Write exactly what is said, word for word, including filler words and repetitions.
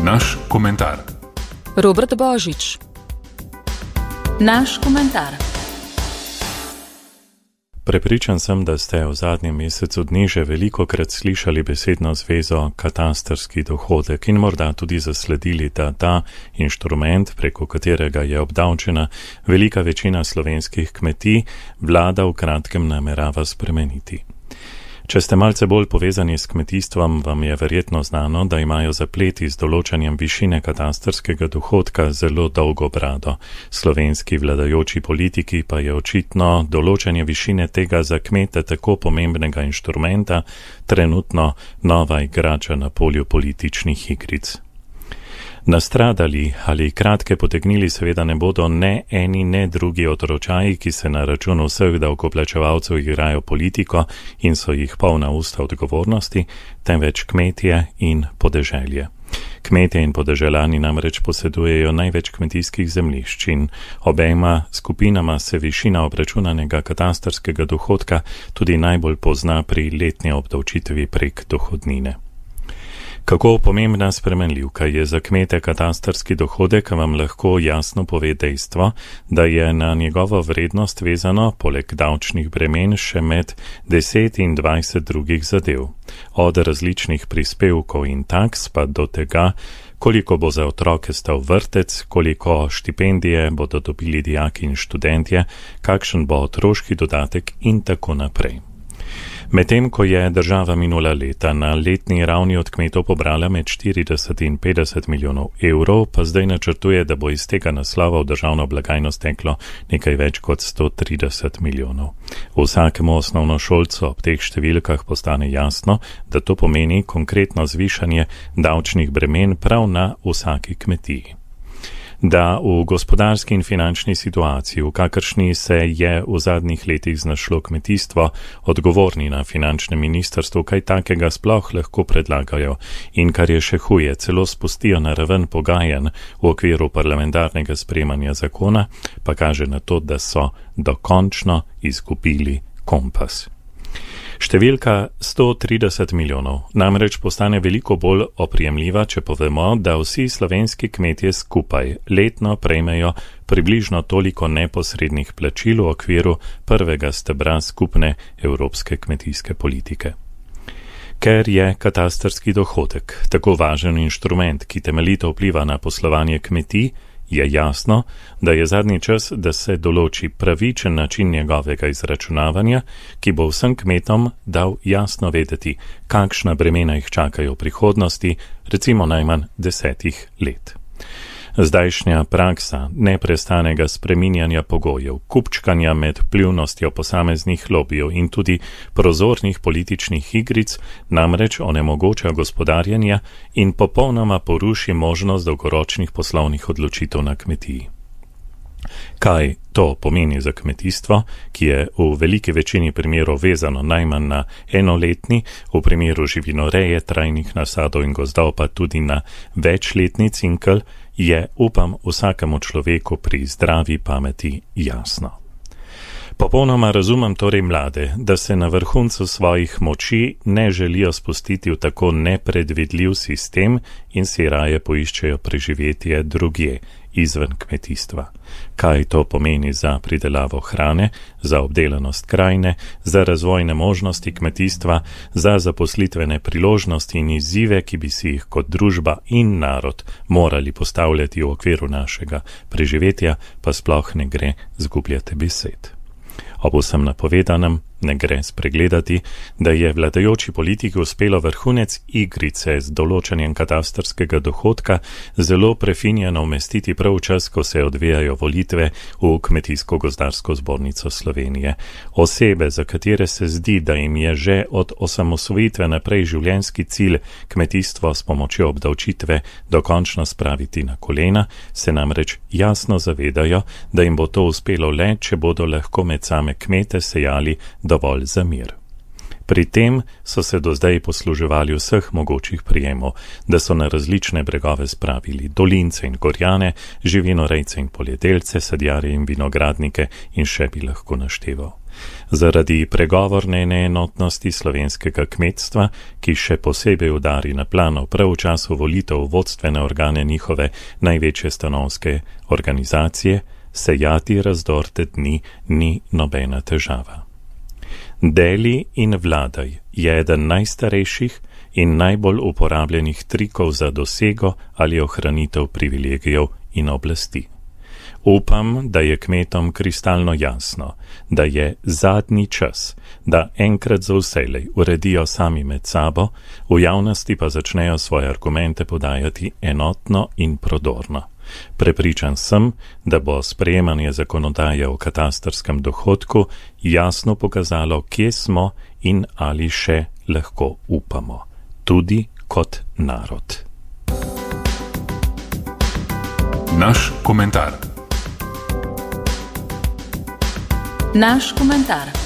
Naš komentar. Robert Božič. Naš komentar. Prepričan sem, da ste v zadnjem mesecu dni že velikokrat slišali besedno zvezo katastrski dohodek in morda tudi zasledili, da ta inštrument, preko katerega je obdavčena velika večina slovenskih kmetij, vlada v kratkem namerava spremeniti. Če ste malce bolj povezani s kmetijstvom, vam je verjetno znano, da imajo zapleti z določanjem višine katastrskega dohodka zelo dolgo brado. Slovenski vladajoči politiki pa je očitno določanje višine tega za kmete tako pomembnega inštrumenta trenutno nova igrača na polju političnih igric. Nastradali ali kratke potegnili seveda ne bodo ne eni ne drugi otročaji, ki se na račun vseh davkoplačevalcev igrajo politiko in so jih polna usta odgovornosti, temveč kmetje in podeželje. Kmetje in podeželani namreč posedujejo največ kmetijskih zemljišč in obema skupinama se višina obračunanega katastrskega dohodka tudi najbolj pozna pri letni obdavčitvi prek dohodnine. Kako pomembna spremenljivka je za kmete katastrski dohodek, vam lahko jasno pove dejstvo, da je na njegovo vrednost vezano, poleg davčnih bremen, še med deset in dvajset drugih zadev. Od različnih prispevkov in taks pa do tega, koliko bo za otroke stal vrtec, koliko štipendije bodo dobili dijaki in študentje, kakšen bo otroški dodatek in tako naprej. Medtem ko je država minula leta na letni ravni od kmetov pobrala med štirideset in petdeset milijonov evrov, pa zdaj načrtuje, da bo iz tega naslova v državno blagajno steklo nekaj več kot sto trideset milijonov. Vsakemu osnovnošolcu ob teh številkah postane jasno, da to pomeni konkretno zvišanje davčnih bremen prav na vsaki kmetiji. Da v gospodarski in finančni situaciji, v kakršni se je v zadnjih letih znašlo kmetijstvo, odgovorni na finančnem ministrstvu kaj takega sploh lahko predlagajo in kar je še huje, celo spustijo na raven pogajanj v okviru parlamentarnega sprejemanja zakona, pa kaže na to, da so dokončno izgubili kompas. Številka sto trideset milijonov namreč postane veliko bolj oprijemljiva, če povemo, da vsi slovenski kmetje skupaj letno prejmejo približno toliko neposrednih plačil v okviru prvega stebra skupne evropske kmetijske politike. Ker je katastrski dohodek tako važen inštrument, ki temeljito vpliva na poslovanje kmetij, je jasno, da je zadnji čas, da se določi pravičen način njegovega izračunavanja, ki bo vsem kmetom dal jasno vedeti, kakšna bremena jih čakajo v prihodnosti, recimo najmanj desetih let. Zdajšnja praksa neprestanega spreminjanja pogojev, kupčkanja med vplivnostjo posameznih lobijev in tudi prozornih političnih igric namreč onemogoča gospodarjenja in popolnoma poruši možnost dolgoročnih poslovnih odločitev na kmetiji. Kaj to pomeni za kmetijstvo, ki je v veliki večini primerov vezano najmanj na enoletni, v primeru živinoreje, trajnih nasadov in gozdov pa tudi na večletni cikel, je, upam, vsakemu človeku pri zdravi pameti jasno. Popolnoma razumem torej mlade, da se na vrhuncu svojih moči ne želijo spustiti v tako nepredvidljiv sistem in si raje poiščejo preživetje drugje, izven kmetijstva. Kaj to pomeni za pridelavo hrane, za obdelanost krajine, za razvojne možnosti kmetijstva, za zaposlitvene priložnosti in izzive, ki bi si jih kot družba in narod morali postavljati v okviru našega preživetja, pa sploh ne gre zgubljati besed. Ob vsem napovedanem ne gre spregledati, da je vladajoči politiki uspelo vrhunec igrice z določanjem katastrskega dohodka zelo prefinjeno umestiti prav v čas, ko se odvijajo volitve v Kmetijsko-gozdarsko zbornico Slovenije. Osebe, za katere se zdi, da jim je že od osamosvojitve naprej življenjski cilj kmetijstvo s pomočjo obdavčitve dokončno spraviti na kolena, se namreč jasno zavedajo, da jim bo to uspelo le, če bodo lahko med same kmete sejali dovolj za mir. Pri tem so se do zdaj posluževali vseh mogočih prijemov, da so na različne bregove spravili dolince in gorjane, živinorejce in poljedelce, sadjarje in vinogradnike in še bi lahko našteval. Zaradi pregovorne neenotnosti slovenskega kmetstva, ki še posebej udari na plano prav v času volitev vodstvene organe njihove največje stanovske organizacije, sejati razdor te dni ni nobena težava. Deli in vladaj je eden najstarejših in najbolj uporabljenih trikov za dosego ali ohranitev privilegijev in oblasti. Upam, da je kmetom kristalno jasno, da je zadnji čas, da enkrat za vselej uredijo sami med sabo, v javnosti pa začnejo svoje argumente podajati enotno in prodorno. Prepričan sem, da bo sprejemanje zakonodaje o katastrskem dohodku jasno pokazalo, kje smo in ali še lahko upamo, tudi kot narod. Naš komentar. Naš komentar.